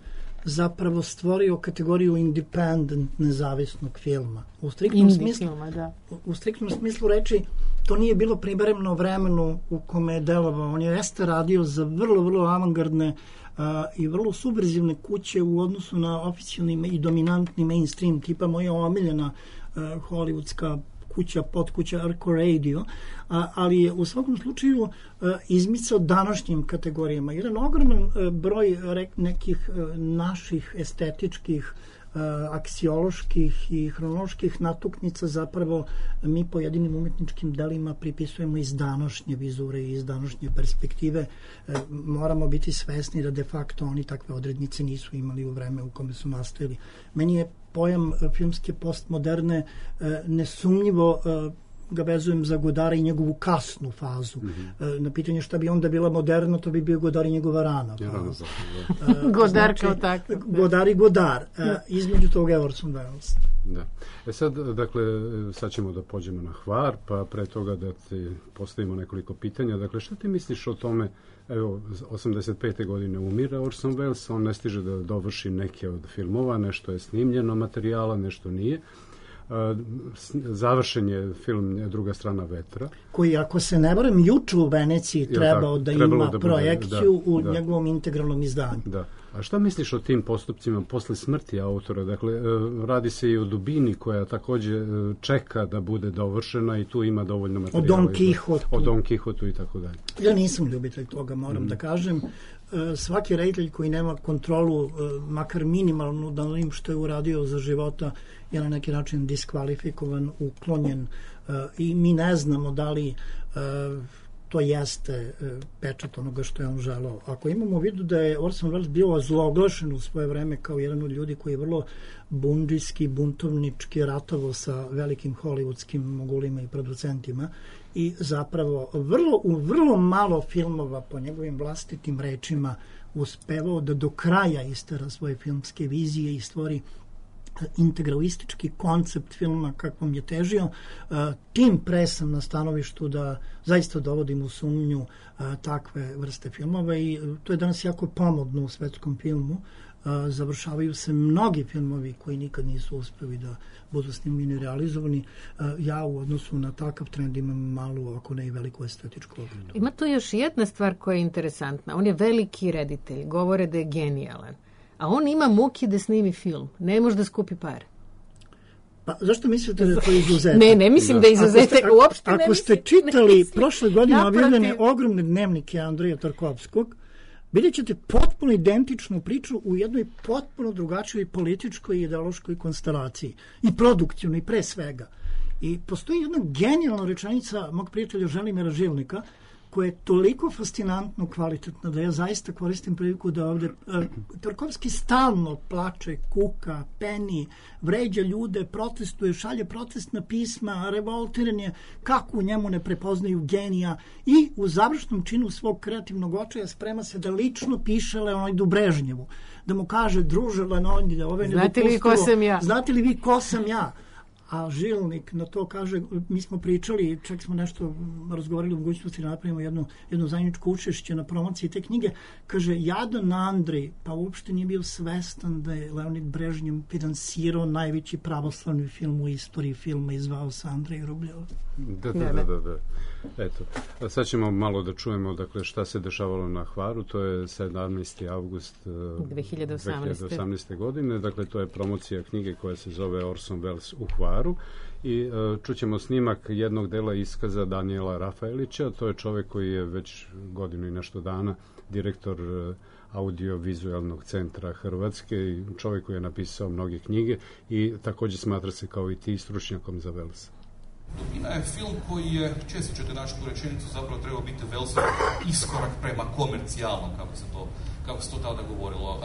zapravo stvorio kategoriju independent, nezavisnog filma. U striktnom, smislu, filma, da. u, u striktnom smislu reči, to nije bilo primereno vremenu u kome je delovao. On je jeste radio za vrlo, vrlo avangardne uh, i vrlo subverzivne kuće u odnosu na oficijalni i dominantni mainstream, tipa moja omiljena uh, hollywoodska kuća, podkuća Arco Radio, a, ali je u svakom slučaju a, izmicao današnjim kategorijama. Jedan ogroman a, broj rek, nekih a, naših estetičkih, a, aksioloških i hronoloških natuknica zapravo mi pojedinim umetničkim delima pripisujemo iz današnje vizure i iz današnje perspektive. A, moramo biti svesni da de facto oni takve odrednice nisu imali u vreme u kome su nastajali. Meni je pojam filmske postmoderne nesumnjivo ga vezujem za Godara i njegovu kasnu fazu. Mm-hmm. Na pitanje šta bi onda bila moderna, to bi bio Godar i njegova rana faza. Godar znači, kao tako. Godar i Godar. Između toga je Orson Welles. Da. E sad, dakle, sad ćemo da pođemo na Hvar, pa pre toga da ti postavimo nekoliko pitanja. Dakle, šta ti misliš o tome? Evo, osamdeset pete godine umire Orson Welles, on ne stiže da dovrši neke od filmova, nešto je snimljeno materijala, nešto nije. Završen je film Druga strana vetra. Koji, ako se ne varam, juče u Veneciji trebao da ima da projekciju bude, da, u da. njegovom integralnom izdanju. Da. A šta misliš o tim postupcima posle smrti autora? Dakle, radi se i o dubini koja takođe čeka da bude dovršena i tu ima dovoljno materijala. O Don Kihotu. O Don Kihotu i tako dalje. Ja nisam ljubitelj toga, moram mm. da kažem. Svaki reditelj koji nema kontrolu, makar minimalnu, da onim što je uradio za života, je na neki način diskvalifikovan, uklonjen i mi ne znamo da li to jeste pečat onoga što je on želao. Ako imamo u vidu da je Orson Welles bio ozloglašen u svoje vreme kao jedan od ljudi koji je vrlo bundžijski, buntovnički ratovao sa velikim hollywoodskim mogulima i producentima i zapravo vrlo, u vrlo malo filmova po njegovim vlastitim rečima uspevao da do kraja istera svoje filmske vizije i stvori integralistički koncept filma kakvom je težio. Tim pre sam na stanovištu da zaista dovodim u sumnju takve vrste filmova i to je danas jako pomodno u svetskom filmu. završavaju se mnogi filmovi koji nikad nisu uspeli da budu snimljeni i realizovani. Ja u odnosu na takav trend imam malu, ako ne i veliku estetičku ogradu. Ima tu još jedna stvar koja je interesantna. On je veliki reditelj, govore da je genijalan. A on ima muke da snimi film. Ne može da skupi pare. Pa zašto mislite da je to izuzetak? Ne, ne mislim da je izuzetak. Uopšte ne Ako ste mislim, čitali prošle godine objavljene ogromne dnevnike Andreja Tarkovskog, vidjet ćete potpuno identičnu priču u jednoj potpuno drugačijoj političkoj i ideološkoj konstelaciji. I produktivnoj, pre svega. I postoji jedna genijalna rečenica mog prijatelja Želimira Žilnika, koja je toliko fascinantno kvalitetna da ja zaista koristim priliku da ovde uh, Tarkovski stalno plače, kuka, peni, vređa ljude, protestuje, šalje protestna pisma, revoltiran je, kako u njemu ne prepoznaju genija i u završnom činu svog kreativnog očaja sprema se da lično piše Leonidu Brežnjevu, da mu kaže, druže Leonide, ove ne znate li ko sam ja? Znate li vi ko sam ja? A Žilnik na to kaže, mi smo pričali, čak smo nešto razgovarali o mogućnosti da napravimo jednu, jednu zajedničko učešće na promociji te knjige, kaže, jadan Andrej, pa uopšte nije bio svestan da je Leonid Brežnjev finansirao najveći pravoslavni film u istoriji filma i zvao se Andrej Rubljov. Da, da, da, da, da. Eto, a sad ćemo malo da čujemo, dakle, šta se dešavalo na Hvaru, to je sedamnaesti avgust dve hiljade osamnaeste godine, dakle, to je promocija knjige koja se zove Orson Welles u Hvaru i uh, čućemo snimak jednog dela iskaza Danijela Rafaelića, to je čovek koji je već godinu i nešto dana direktor uh, audio-vizualnog centra Hrvatske i čovek koji je napisao mnoge knjige i takođe smatra se kao i ti stručnjakom za Wellesa. Dubina je film koji je, često ćete naći tu rečenicu, zapravo trebao biti Wellsov iskorak prema komercijalnom, kako se to, kako se to tada govorilo. Uh,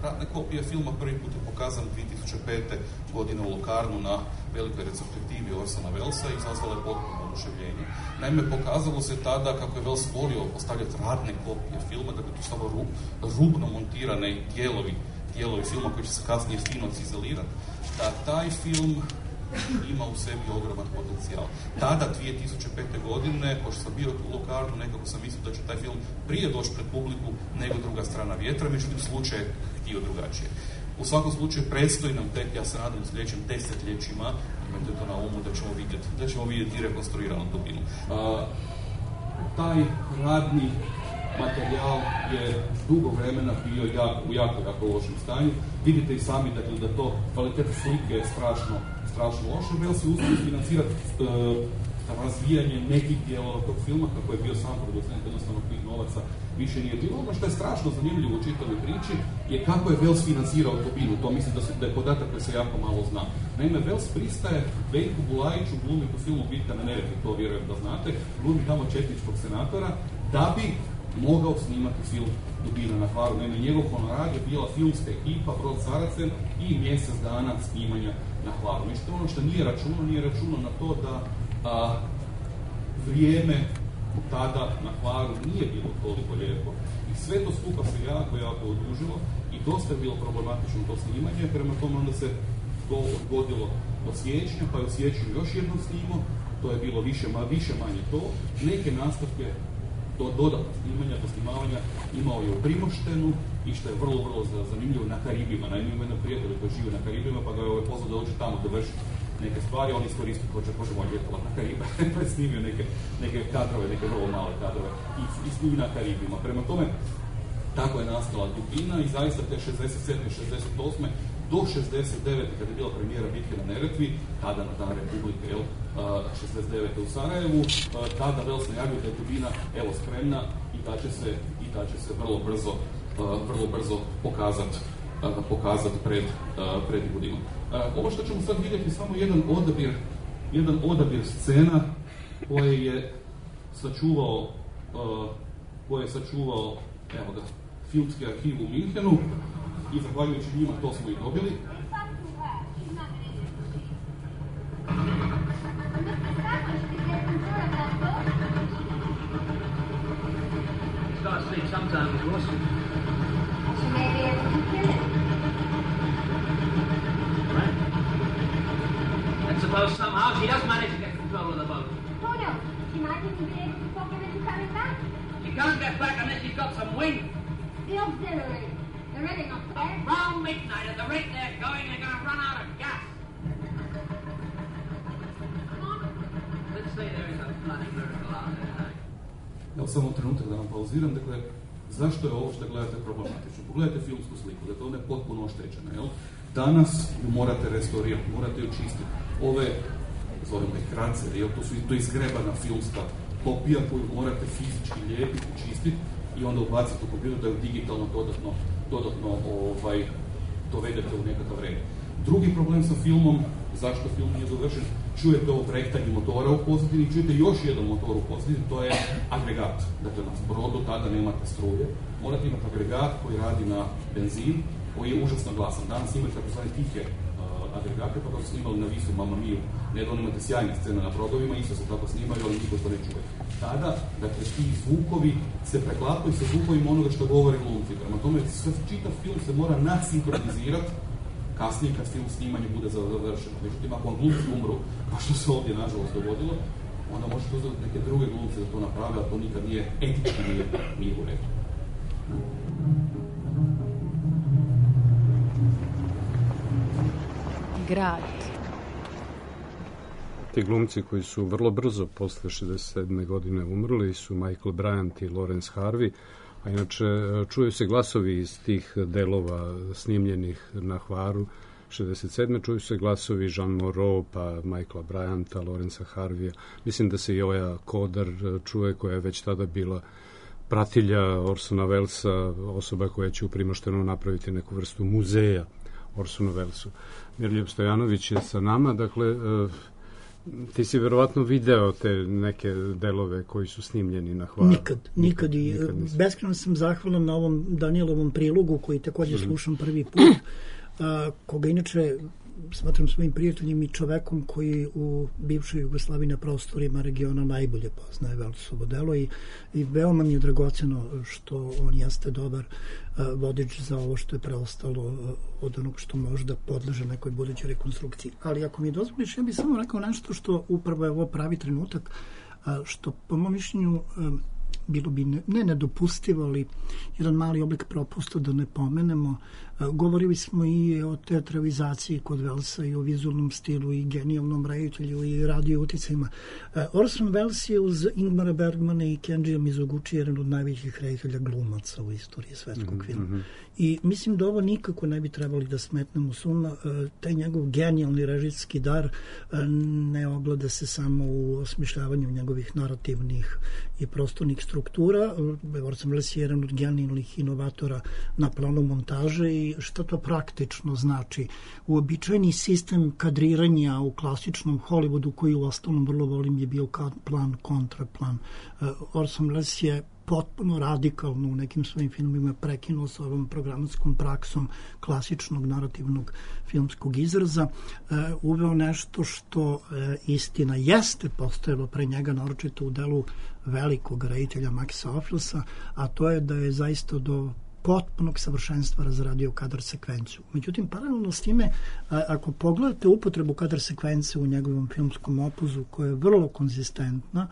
Ratne kopije filma prvi put je pokazan dvije tisuće pete. godine u Locarnu na velikoj retrospektivi Orsona Wellesa i izazvala je potpuno oduševljenje. Naime, pokazalo se tada kako je Welles volio postavljati radne kopije filma, da bi to stava rub, rubno montirane dijelovi, dijelovi filma koji će se kasnije fino cizelirati, da taj film ima u sebi ogroman potencijal. Tada, dvije tisuće pete. godine, pošto sam bio u Locarnu, nekako sam mislio da će taj film prije doći pred publiku nego Druga strana vjetra, međutim slučaj je htio drugačije. U svakom slučaju predstoji nam tek, ja se nadam, u sljedećim desetljećima, imajte to na umu, da ćemo vidjeti, da ćemo vidjeti rekonstruiranu Dubinu. A, taj radni materijal je dugo vremena bio jako, u jako, jako lošem stanju. Vidite i sami dakle, da to kvaliteta slike je strašno, strašno loša. Welles je uspio financirati uh, razvijanje nekih dijelova tog filma, kako je bio sam producent, jednostavno tih novaca više nije bilo. Ono što je strašno zanimljivo u čitavoj priči je kako je Welles financirao Dubinu. To mislim da, se, da je podatak koji se jako malo zna. Naime, Welles pristaje Veljku Bulajiću glumiti u filmu Bitka na Neretvi, to vjerujem da znate, glumi tamo četničkog senatora, da bi mogao snimati film Dubina na Hvaru. Naime, njegov honorar je bila filmska ekipa, Brod Saracen i mjesec dana snimanja na Hvaru. Međutim, ono što nije računo, nije računo na to da a, vrijeme tada na Hvaru nije bilo toliko lijepo i sve to skupa se jako, jako odužilo i dosta je bilo problematično to snimanje, prema tome onda se to odgodilo od siječnja, pa je u siječnju još jednom snimo, to je bilo više, ma, više manje to, neke nastavke do dodatno snimanja, posnimavanja imao je u Primoštenu i što je vrlo, vrlo zanimljivo na Karibima. Naime, ima jedan prijatelj koji živi na Karibima, pa ga je ovaj pozvao da dođe tamo da vrši neke stvari, on iskoristio, hoće, hoće moj ljetovat na Karibe, pa je snimio neke, neke kadrove, neke vrlo male kadrove i, i snimio na Karibima. Prema tome, tako je nastala Dubina i zaista te šezdeset sedme šezdeset osme do šezdeset devete kada je bila premijera Bitke na Neretvi, tada na Dan Republike, jel, šezdeset devete u Sarajevu, tada Welles najavio da je Dubina, evo, spremna i da će se, i da će se vrlo brzo, vrlo brzo pokazati pokazat pred, pred Budinom. Ovo što ćemo sad vidjeti samo jedan odabir, jedan odabir scena koje je sačuvao, koje je sačuvao, evo ga, filmski arhiv u Minhenu i zahvaljujući njima to smo i dobili. And suppose somehow she does manage to get control of the boat. Who knows? She might even be able to talk her into coming back. She can't get back unless she's got some wind. The auxiliary. They're ready up there. Round midnight at the rate they're going, they're going to run out of gas. Come on. Let's say there is a bloody miracle out there. Evo samo trenutak da vam pauziram, dakle, zašto je ovo što gledate problematično? Pogledajte filmsku sliku, dakle ona je potpuno oštećena, jel? Danas ju morate restaurirati, morate ju čistiti. Ove, zovemo ih kraceri, jel? To, su, to je izgrebana filmska kopija koju morate fizički lijepiti, čistiti i onda ubaciti u kompjuter da ju digitalno dodatno, dodatno ovaj, dovedete u nekakav red. Drugi problem sa filmom, zašto film nije dovršen, čujete ovo prektanje motora u pozadini, čujete još jedan motor u pozadini, to je agregat. Dakle, na brodu tada nemate struje, morate imati agregat koji radi na benzin, koji je užasno glasan. Danas imate tako zvane tihe uh, agregate, pa to su snimali na Visu, Mamma Miju. Nedavno imate sjajne scene na brodovima, isto se tako snimaju, ali niko to ne čuje. Tada, dakle, ti zvukovi se preklapaju sa zvukovima onoga što govore glumci. Prema tome, čitav film se mora nasinkronizirati kasnije kad film snimanje bude završeno. Međutim, ako vam glumci umru, kao što se ovdje nažalost dogodilo, onda možete uzeti neke druge glumce da to naprave, a to nikad nije etički, nije, nije u redu. Grad. Ti glumci koji su vrlo brzo posle šezdeset sedme godine umrli su Michael Bryant i Lawrence Harvey, a inače čuju se glasovi iz tih delova snimljenih na Hvaru šezdeset sedme čuju se glasovi Jean Moreau, pa Michaela Bryanta, Lawrencea Harveya. Mislim da se i Oja Kodar čuje, koja je već tada bila pratilja Orsona Wellesa, osoba koja će u Primoštenu napraviti neku vrstu muzeja Orsonu Wellesu. Mirljub Stojanović je sa nama, dakle, ti si verovatno video te neke delove koji su snimljeni na Hvaru. Nikad, nikad. I beskrajno sam zahvalan na ovom Danielovom prilogu koji također slušam prvi put, a, koga inače smatram svojim prijateljem i čovekom koji u bivšoj Jugoslaviji na prostorima regiona najbolje poznaje Wellesovo delo i, i veoma mi je dragoceno što on jeste dobar a, vodič za ovo što je preostalo a, od onog što možda podleže nekoj budućoj rekonstrukciji. Ali ako mi dozvoliš, ja bih samo rekao nešto što upravo je ovo pravi trenutak, a, što po mom mišljenju a, bilo bi ne, ne nedopustivo, ali jedan mali oblik propusta da ne pomenemo. Govorili smo i o teatralizaciji kod Wellesa i o vizualnom stilu i genijalnom reditelju i radio uticajima. Orson Welles je uz Ingmara Bergmana i Kenjija Mizoguchi jedan od najvećih reditelja glumaca u istoriji svetskog mm-hmm. filma. I mislim da ovo nikako ne bi trebali da smetnemo suma. Taj njegov genijalni režijski dar ne ogleda se samo u osmišljavanju njegovih narativnih i prostornih struktura. Orson Welles je jedan od genijalnih inovatora na planu montaže i šta to praktično znači. Uobičajeni sistem kadriranja u klasičnom Hollywoodu, koji u ostalom vrlo volim, je bio plan, kontraplan. Orson Welles je potpuno radikalno u nekim svojim filmima prekinuo sa ovom programatskom praksom klasičnog narativnog filmskog izraza, e, uveo nešto što e, istina jeste postojalo pre njega, naročito u delu velikog reditelja Maxa Ophullsa, a to je da je zaista do potpunog savršenstva razradio kadar sekvenciju. Međutim, paralelno s time, a, ako pogledate upotrebu kadar sekvence u njegovom filmskom opuzu, koja je vrlo konzistentna,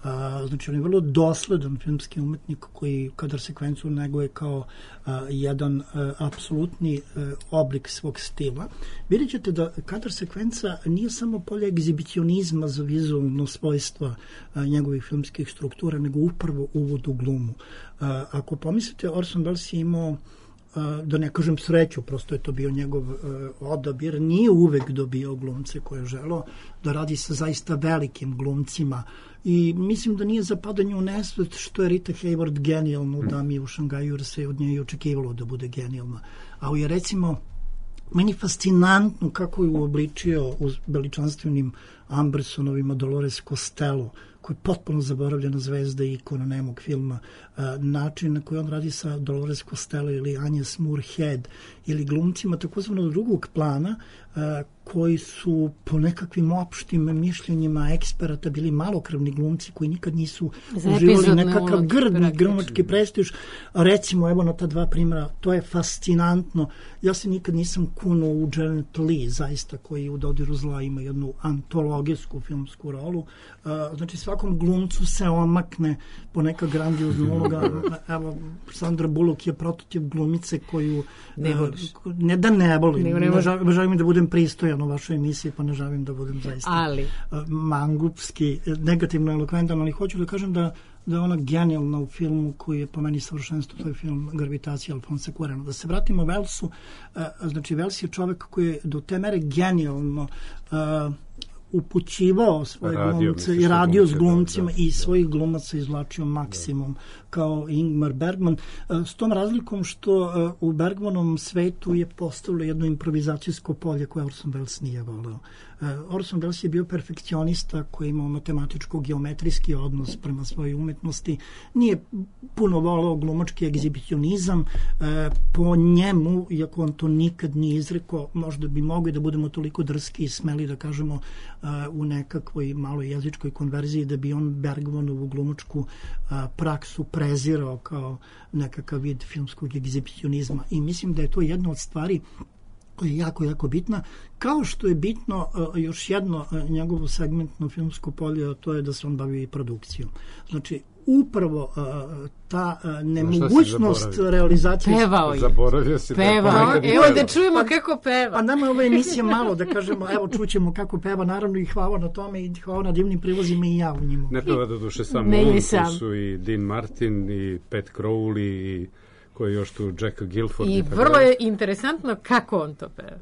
a, znači on je vrlo dosledan filmski umetnik koji kadar sekvenciju neguje kao a, jedan a, apsolutni a, oblik svog stila, vidjet ćete da kadar sekvenca nije samo polje egzibicionizma za vizualno svojstva a, njegovih filmskih struktura, nego upravo uvod u glumu. A, ako pomislite, Orson Welles je imao, a, da ne kažem sreću, prosto je to bio njegov a, odabir, nije uvek dobio glumce koje je želeo da radi sa zaista velikim glumcima i mislim da nije zapadanje u nesvet što je Rita Hayworth genijalna u Dami u Šangaju, jer se od nje i očekivalo da bude genijalna. A je recimo meni fascinantno kako je uobličio uz veličanstvenim Ambersonovima Dolores Costello, koja je potpuno zaboravljena zvezda i ikona nemog filma, način na koji on radi sa Dolores Costello ili Agnes Moorehead ili glumcima takozvanog drugog plana, koji su po nekakvim opštim mišljenjima eksperata bili malokrvni glumci koji nikad nisu uživali nekakav grdni glumački prestiž. Recimo, evo na ta dva primjera, to je fascinantno. Ja se nikad nisam kunuo u Janet Leigh, zaista, koji u Dodiru zla ima jednu antologijsku filmsku rolu. Znači, svakom glumcu se omakne po neka grandiozna uloga. Evo, Sandra Bullock je prototip glumice koju... Ne voliš. Ne da ne volim. Ne, ne, ne želim da budem pristojan u vašoj emisiji, pa ne želim da budem zaista ali. mangupski, negativno elokventan, ali hoću da kažem da da je ona genijalna u filmu koji je po meni savršenstvo, to je film Gravitacija Alfonsa Cuarona. Da se vratimo Wellsu, znači Wells je čovek koji je do te mere genijalno uh, upućivao svoje radio, glumce i radio s glumcima i svojih glumaca izvlačio maksimum da. Kao Ingmar Bergman. S tom razlikom što u Bergmanovom svetu je postavilo jedno improvizacijsko polje koje Orson Welles nije voleo. Orson Welles je bio perfekcionista koji je imao matematičko-geometrijski odnos prema svojoj umetnosti. Nije puno voleo glumački egzibicionizam. Po njemu, iako on to nikad nije izrekao, možda bi mogli da budemo toliko drski i smeli da kažemo u nekakvoj maloj jezičkoj konverziji da bi on Bergmanovu glumačku praksu prezirao kao nekakav vid filmskog egzibicionizma. I mislim da je to jedna od stvari koja je jako, jako bitna. Kao što je bitno još jedno njegovo segmentno filmsko polje, to je da se on bavi produkcijom. Znači, upravo ta nemogućnost realizacije... Pevao je. Zaboravio si. Pevao. Evo da čujemo kako peva. Pa nama je ova emisija malo da kažemo, evo čućemo kako peva, naravno i hvala na tome i hvala na divnim prilozima i ja u njemu. Ne peva do duše samo on, tu su i Dean Martin i Pat Crowley i koji je još tu Jack Gilford. I vrlo je interesantno kako on to peva.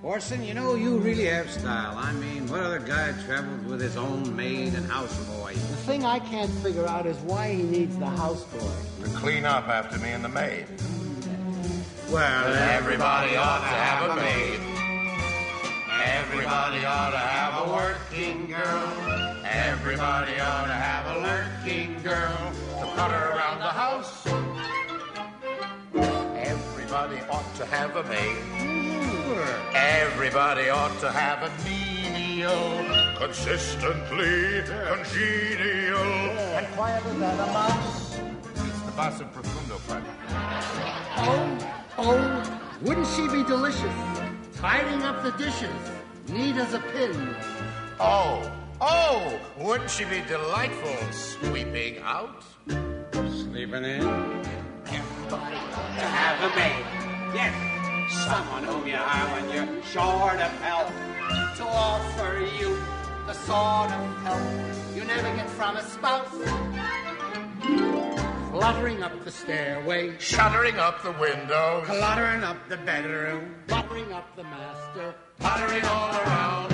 Orson, you know, you really have style. I mean, what other guy travels with his own maid and houseboy? The thing I can't figure out is why he needs the houseboy. To clean up after me and the maid. Well, everybody ought to have a maid. Everybody ought to have a working girl. Everybody ought to have a lurking girl to putter around the house. Everybody ought to have a maid. Everybody ought to have a menial, consistently congenial, and quieter than a mouse. It's the basso profundo part. Oh, oh, wouldn't she be delicious? Tidying up the dishes, neat as a pin. Oh, oh, wouldn't she be delightful sweeping out? Sleeping in? Everybody ought to have a maid. Yes. Someone whom you hire when you're short of help, to offer you the sort of help you never get from a spouse. Fluttering up the stairway, shuttering up the windows, cluttering up the bedroom, buttering up the master, puttering all around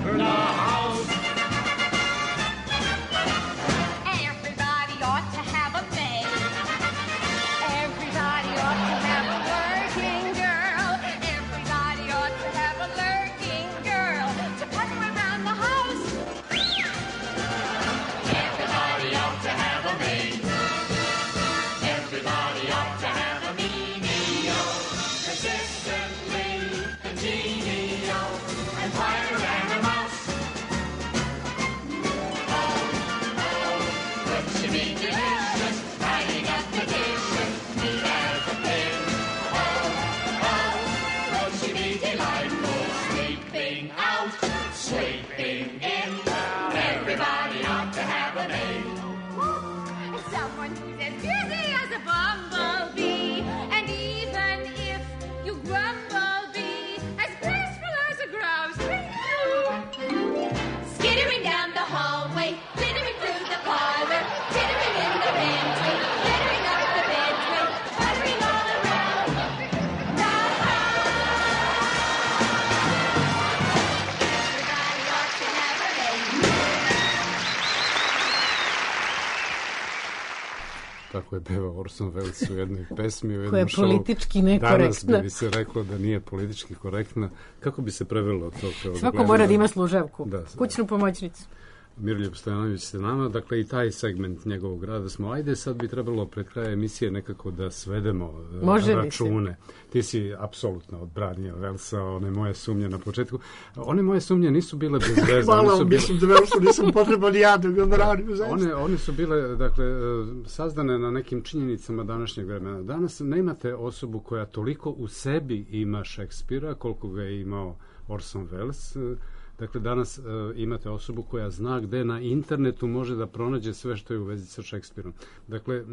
the house. Everybody ought to have a maid. Everybody ought to have a working girl. Everybody ought to have a lurking girl to putter around the house. Everybody ought to have a maid. Everybody ought to have a menial, consistently congenial, and quieter than a mouse. Oh, oh, would she be delicious, tidying up the dishes, neat as a pin? Oh, oh, would she be delightful, sleeping out, sleeping in? Everybody ought to have a maid. Someone who's as busy as a bumblebee, and even if you grumble, be as graceful as a grouse. Skittering down the hallway, glittering through the parlor, tittering in the pantry, littering up the bedroom, puttering all around the house. Everybody ought to have a maid. Tako je pevao Orson Welles u jednoj pesmi, u jednom koja je šovu. politički nekorektna. Danas bi se reklo da nije politički korektna. Kako bi se prevelo to? Svako mora da ima služavku, da, kućnu pomoćnicu. Miroljub Stojanović sa nama, dakle i taj segment njegovog rada smo, ajde sad bi trebalo pred kraja emisije nekako da svedemo Može račune. Ti si apsolutno odbranio Velsa, one moje sumnje na početku. One moje sumnje nisu bile bez veze. Hvala vam, bile... mislim da Velsu nisam potreban ja da ga branim. One, one su bile, dakle, sazdane na nekim činjenicama današnjeg vremena. Danas ne imate osobu koja toliko u sebi ima Šekspira, koliko ga je imao Orson Welles. Dakle, danas uh, imate osobu koja zna gde na internetu može da pronađe sve što je u vezi sa Šekspirom. Dakle,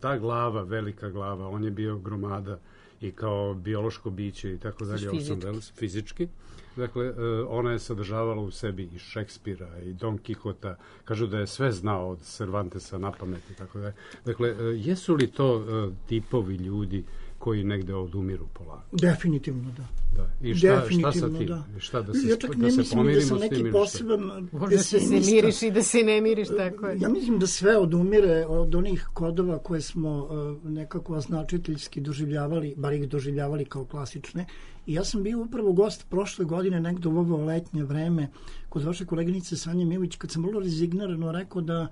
ta glava, velika glava, on je bio gromada i kao biološko biće i tako dalje, Orson Welles, fizički. Dakle, uh, ona je sadržavala u sebi i Šekspira i Don Kihota. Kažu da je sve znao od Cervantesa na pamet i tako dalje. Dakle, uh, jesu li to uh, tipovi ljudi koji negde odumiru polako? Definitivno da. Da. I šta, šta sa tim? Da. Šta da se, ja čak da ne se mislim da sam neki poseban Možda se miriš i da se ne miriš, tako je. Ja mislim da sve odumire od onih kodova koje smo uh, nekako označiteljski doživljavali, bar ih doživljavali kao klasične. I ja sam bio upravo gost prošle godine, negde u ovo letnje vreme, kod vaše koleginice Sanje Milović, kad sam vrlo rezignirano rekao da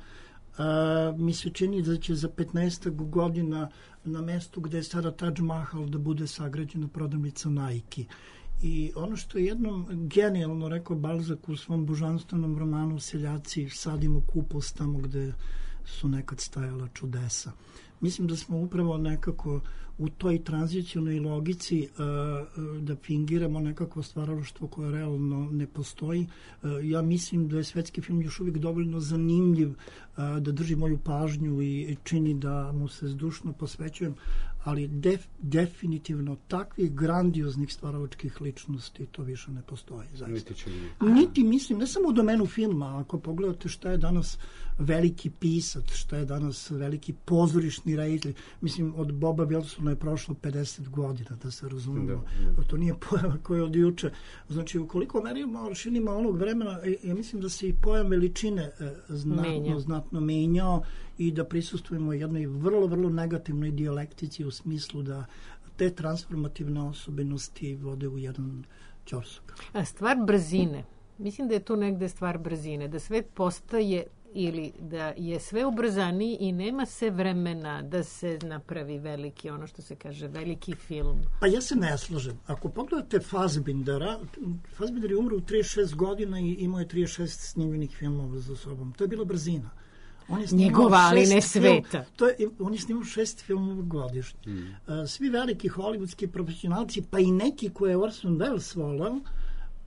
Uh, mi se čini da će za petnaest godina na mestu gde je sada Taj Mahal da bude sagrađena prodavnica Nike. I ono što je jednom genijalno rekao Balzac u svom božanstvenom romanu Seljaci, sadimo kupus tamo gde su nekad stajala čudesa. Mislim da smo upravo nekako u toj tranzicionoj logici uh, da fingiramo nekako stvaralaštvo koje realno ne postoji. Uh, ja mislim da je svetski film još uvijek dovoljno zanimljiv uh, da drži moju pažnju i čini da mu se zdušno posvećujem, ali def, definitivno takvih grandioznih stvaralačkih ličnosti to više ne postoji. Zaista. Niti, Niti mislim, ne samo u domenu filma, ako pogledate šta je danas veliki pisac, šta je danas veliki pozorišni reditelj, mislim od Boba Wilsona je prošlo pedeset godina, da se razumemo. Da, da. To nije pojava koja je od juče. Znači, ukoliko merimo aršinima onog vremena, ja mislim da se i pojam veličine znatno, Menja. znatno menjao i da prisustujemo jednoj vrlo, vrlo negativnoj dijalektici u smislu da te transformativne osobenosti vode u jedan ćorsok. A stvar brzine. Mislim da je to negde stvar brzine, da sve postaje ili da je sve ubrzaniji i nema se vremena da se napravi veliki, ono što se kaže, veliki film. Pa ja se ne slažem. Ako pogledate Fassbindera, Fassbinder je umro u trideset šest godina i imao je trideset šest snimljenih filmova za sobom. To je bila brzina. On je Njegova, ali ne sveta. Film, to je, on je snimao šest filmova godišnje. Mm. Svi veliki hollywoodski profesionalci, pa i neki koje je Orson Welles volao,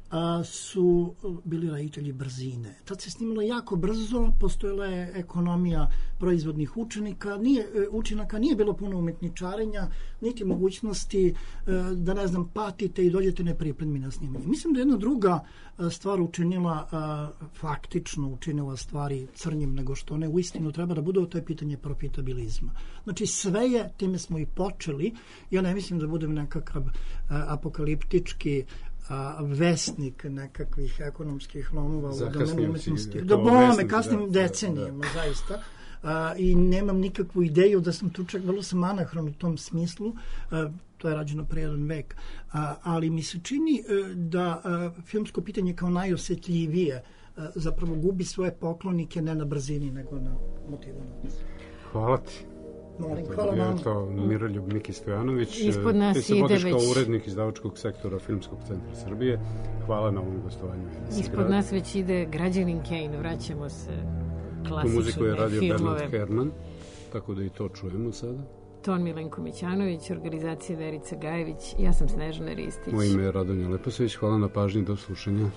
a, su bili reditelji brzine. Tad se snimalo jako brzo, postojala je ekonomija proizvodnih učenika, nije, učinaka, nije bilo puno umetničarenja, niti mogućnosti da, ne znam, patite i dođete nepripremljeni na snimanje. Mislim da jedna druga stvar učinila, faktično učinila stvari crnjim nego što one uistinu treba da budu, to je pitanje profitabilizma. Znači sve je, time smo i počeli, ja ne mislim da budem nekakav apokaliptički a, vesnik nekakvih ekonomskih lomova u domenu umetnosti. Da bome, kasnim decenijama, da, da. zaista. A, I nemam nikakvu ideju da sam tu čak vrlo sam anahron u tom smislu. A, to je rađeno pre jedan vek. A, ali mi se čini a, da a, filmsko pitanje kao najosjetljivije a, zapravo gubi svoje poklonike ne na brzini, nego na motivu. Hvala ti. Molim, hvala vam. Je to Miroljub Miki Stojanović. Ispod nas ti se vodiš već... kao urednik izdavačkog sektora Filmskog centra Srbije. Hvala na ovom gostovanju. Ispod grad. nas već ide Građanin Kane. Vraćamo se klasične filmove. U muziku je radio Bernard Herrmann, tako da i to čujemo sada. Ton Milenko Mićanović, organizacija Verica Gajević. Ja sam Snežana Ristić. Moje ime je Radonja Leposević. Hvala na pažnji, do slušanja.